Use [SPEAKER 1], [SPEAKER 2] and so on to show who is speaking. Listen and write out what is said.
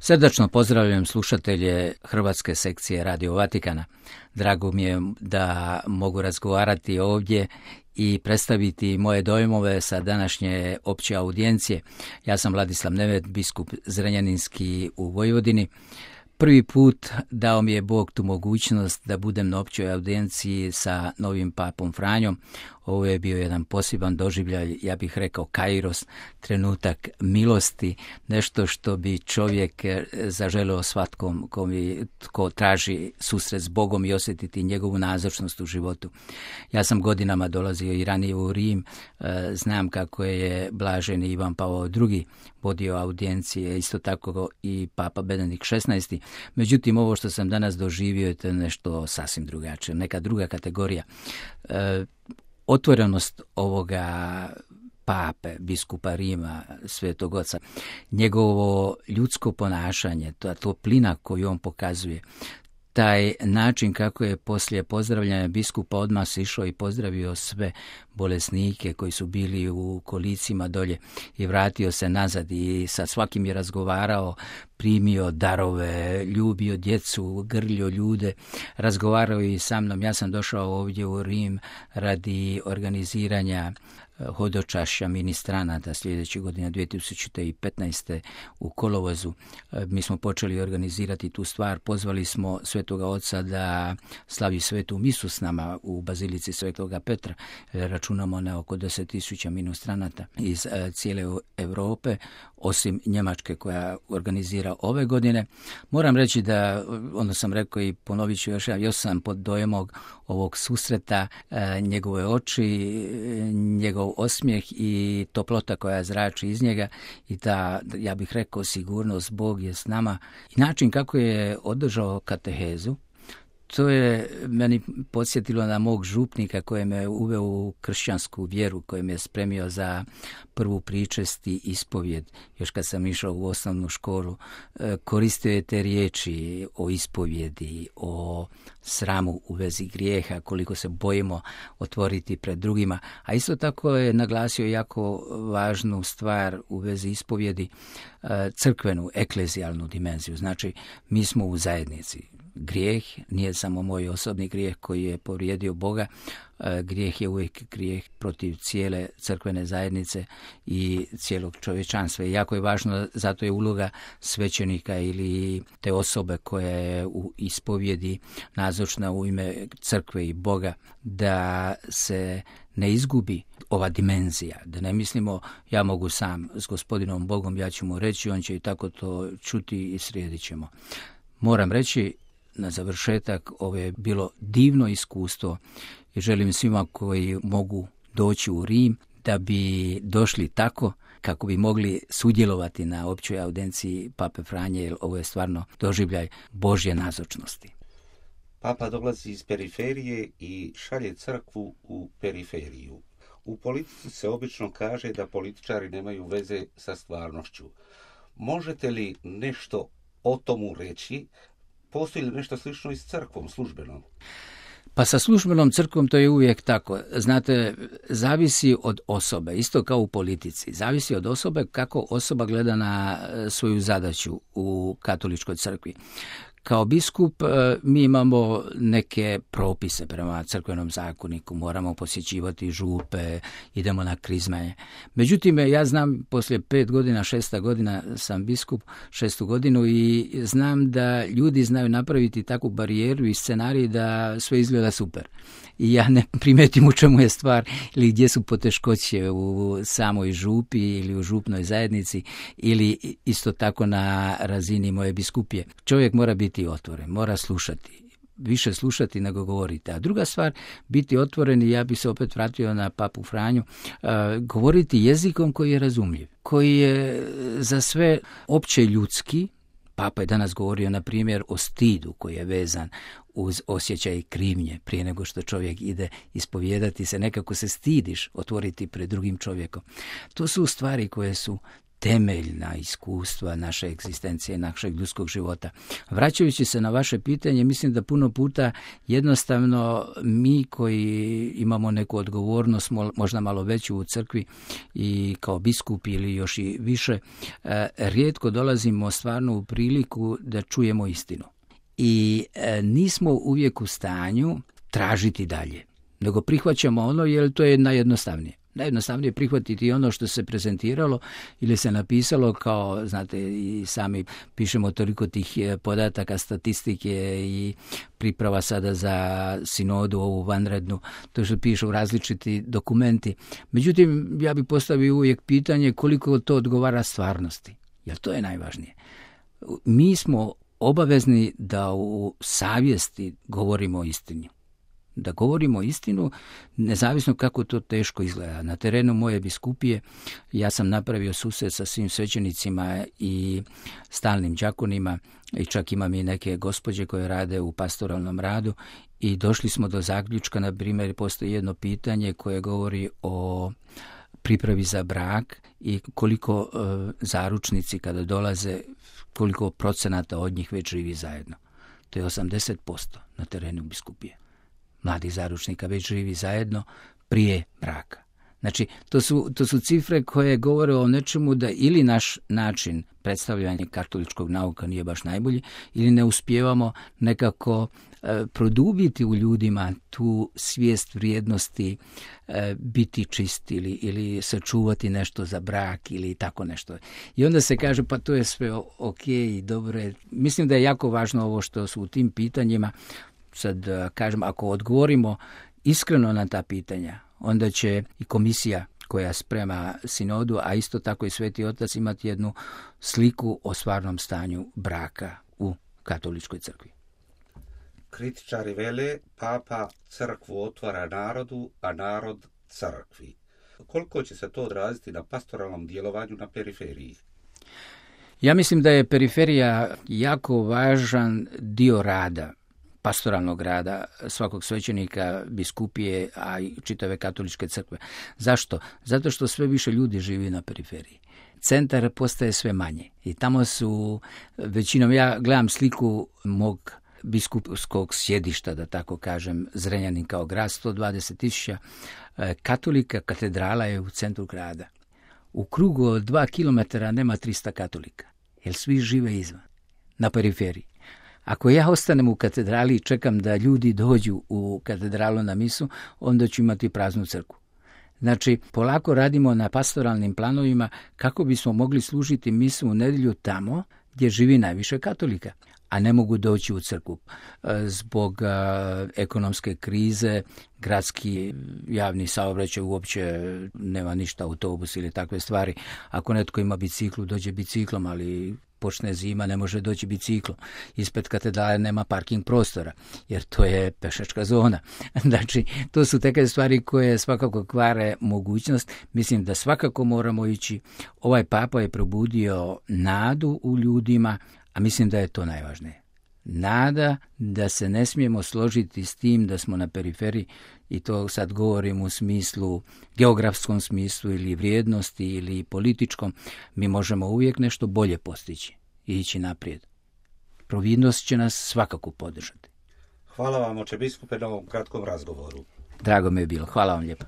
[SPEAKER 1] Srdačno pozdravljam slušatelje hrvatske sekcije Radio Vatikana. Drago mi je da mogu razgovarati ovdje i predstaviti moje dojmove sa današnje opće audijencije. Ja sam Vladislav Nemet, biskup Zrenjaninski u Vojvodini. Prvi put dao mi je Bog tu mogućnost da budem na općoj audijenciji sa novim papom Franjom. Ovo je bio jedan poseban doživljaj, ja bih rekao kairos, trenutak milosti, nešto što bi čovjek zaželeo svatkom ko traži susret s Bogom i osjetiti njegovu nazočnost u životu. Ja sam godinama dolazio i ranije u Rim, znam kako je blaženi Ivan Pavao II vodio audijencije, isto tako i Papa Benedikt XVI. Međutim, ovo što sam danas doživio je nešto sasvim drugačije, neka druga kategorija. Otvorenost ovoga pape, biskupa Rima, Svetog Oca, njegovo ljudsko ponašanje, ta toplina koju on pokazuje, taj način kako je poslije pozdravljanja biskupa odmah se išao i pozdravio sve bolesnike koji su bili u kolicima dolje i vratio se nazad i sa svakim je razgovarao, primio darove, ljubio djecu, grlio ljude, razgovarao i sa mnom. Ja sam došao ovdje u Rim radi organiziranja hodočašća ministranata sljedeće godine 2015. u kolovozu. Mi smo počeli organizirati tu stvar, pozvali smo Svetoga Oca da slavi svetu misu s nama u bazilici Svetoga Petra. Računamo na oko 10.000 ministranata iz cijele Europe, osim Njemačke koja organizira ove godine. Moram reći da, onda sam rekao i ponovit ću još sam pod dojmom ovog susreta, njegove oči, njegov osmijeh i toplota koja zrači iz njega i ta, ja bih rekao, sigurnost, Bog je s nama. I način kako je održao katehezu, to je meni podsjetilo na mog župnika koji me uveo u kršćansku vjeru, koji me je spremio za prvu pričest i ispovjed. Još kad sam išao u osnovnu školu, koristio je te riječi o ispovjedi, o sramu u vezi grijeha, koliko se bojimo otvoriti pred drugima. A isto tako je naglasio jako važnu stvar u vezi ispovjedi, crkvenu, eklezijalnu dimenziju. Znači, mi smo u zajednici. Grijeh nije samo moj osobni grijeh koji je povrijedio Boga, grijeh je uvijek grijeh protiv cijele crkvene zajednice i cijelog čovječanstva. I jako je važno, zato je uloga svećenika ili te osobe koja je u ispovjedi nazočna u ime crkve i Boga, da se ne izgubi ova dimenzija, da ne mislimo ja mogu sam s gospodinom Bogom, ja ću mu reći, on će i tako to čuti i slijedit ćemo. Moram reći, na završetak, ovo je bilo divno iskustvo i želim svima koji mogu doći u Rim da bi došli tako kako bi mogli sudjelovati na općoj audenciji Pape Franje, jer ovo je stvarno doživljaj Božje nazočnosti.
[SPEAKER 2] Papa dolazi iz periferije i šalje crkvu u periferiju. U politici se obično kaže da političari nemaju veze sa stvarnošću. Možete li nešto o tomu reći? Postoji li nešto slično i s crkvom službenom?
[SPEAKER 1] Pa sa službenom crkvom to je uvijek tako. Znate, zavisi od osobe, isto kao u politici. Zavisi od osobe kako osoba gleda na svoju zadaću u katoličkoj crkvi. Kao biskup mi imamo neke propise prema crkvenom zakoniku, moramo posjećivati župe, idemo na krizmanje. Međutim, ja znam, poslije 5 godina, 6. godina sam biskup, 6. godinu i znam da ljudi znaju napraviti takvu barijeru i scenarij da sve izgleda super. I ja ne primetim u čemu je stvar ili gdje su poteškoće u samoj župi ili u župnoj zajednici ili isto tako na razini moje biskupije. Čovjek mora biti otvoren, mora slušati. Više slušati nego govoriti. A druga stvar, biti otvoren, i ja bih se opet vratio na Papu Franju, govoriti jezikom koji je razumljiv, koji je za sve opće ljudski. Papa je danas govorio, na primjer, o stidu koji je vezan uz osjećaj krivnje. Prije nego što čovjek ide ispovijedati se, nekako se stidiš otvoriti pred drugim čovjekom. To su stvari koje su temeljna iskustva naše egzistencije, našeg ljudskog života. Vraćajući se na vaše pitanje, mislim da puno puta jednostavno mi koji imamo neku odgovornost, možda malo veću u crkvi i kao biskupi ili još i više, rijetko dolazimo stvarno u priliku da čujemo istinu. I nismo uvijek u stanju tražiti dalje, nego prihvaćamo ono jer to je najjednostavnije. Najjednostavnije prihvatiti ono što se prezentiralo ili se napisalo, kao, znate, i sami pišemo toliko tih podataka, statistike i priprava sada za sinodu, ovu vanrednu, to što pišu različiti dokumenti. Međutim, ja bih postavio uvijek pitanje koliko to odgovara stvarnosti, jer to je najvažnije. Mi smo obavezni da u savjesti govorimo istinu. Da govorimo istinu, nezavisno kako to teško izgleda. Na terenu moje biskupije ja sam napravio susret sa svim svećenicima i stalnim đakonima i čak imam i neke gospođe koje rade u pastoralnom radu i došli smo do zaključka, na primjer, postoji jedno pitanje koje govori o pripravi za brak i koliko zaručnici kada dolaze, koliko procenata od njih već živi zajedno. To je 80% na terenu biskupije. Mladih zaručnika već živi zajedno prije braka. Znači, to su cifre koje govore o nečemu da ili naš način predstavljanja katoličkog nauka nije baš najbolji, ili ne uspijevamo nekako produbiti u ljudima tu svijest vrijednosti, biti čist ili sačuvati nešto za brak ili tako nešto. I onda se kaže pa to je sve ok i dobro je. Mislim da je jako važno ovo što su u tim pitanjima. Sad kažem, ako odgovorimo iskreno na ta pitanja, onda će i komisija koja sprema sinodu, a isto tako i Sveti Otac, imati jednu sliku o stvarnom stanju braka u katoličkoj crkvi.
[SPEAKER 2] Kritičari vele, papa crkvu otvara narodu, a narod crkvi. Koliko će se to odraziti na pastoralnom djelovanju na periferiji?
[SPEAKER 1] Ja mislim da je periferija jako važan dio rada, pastoralnog rada svakog svećenika, biskupije, a i čitave katoličke crkve. Zašto? Zato što sve više ljudi živi na periferiji. Centar postaje sve manje i tamo su većinom, ja gledam sliku mog biskupskog sjedišta, da tako kažem, Zrenjanin kao grad, 120.000 katolika, katedrala je u centru grada. U krugu od 2 kilometara nema 300 katolika, jer svi žive izvan, na periferiji. Ako ja ostanem u katedrali i čekam da ljudi dođu u katedralu na misu, onda ću imati praznu crkvu. Znači, polako radimo na pastoralnim planovima kako bismo mogli služiti misu u nedjelju tamo gdje živi najviše katolika, a ne mogu doći u crkvu. Zbog ekonomske krize, gradski javni saobraćaj uopće nema ništa, autobus ili takve stvari. Ako netko ima biciklu, dođe biciklom, ali počne zima, ne može doći biciklom. Ispred katedrale nema parking prostora, jer to je pešačka zona. Znači, to su takve stvari koje svakako kvare mogućnost. Mislim da svakako moramo ići. Ovaj papa je probudio nadu u ljudima, a mislim da je to najvažnije. Nada da se ne smijemo složiti s tim da smo na periferiji, i to sad govorim u smislu, geografskom smislu ili vrijednosti ili političkom. Mi možemo uvijek nešto bolje postići i ići naprijed. Providnost će nas svakako podržati.
[SPEAKER 2] Hvala vam, oče biskupe, na ovom kratkom razgovoru.
[SPEAKER 1] Drago mi je bilo. Hvala vam lijepo.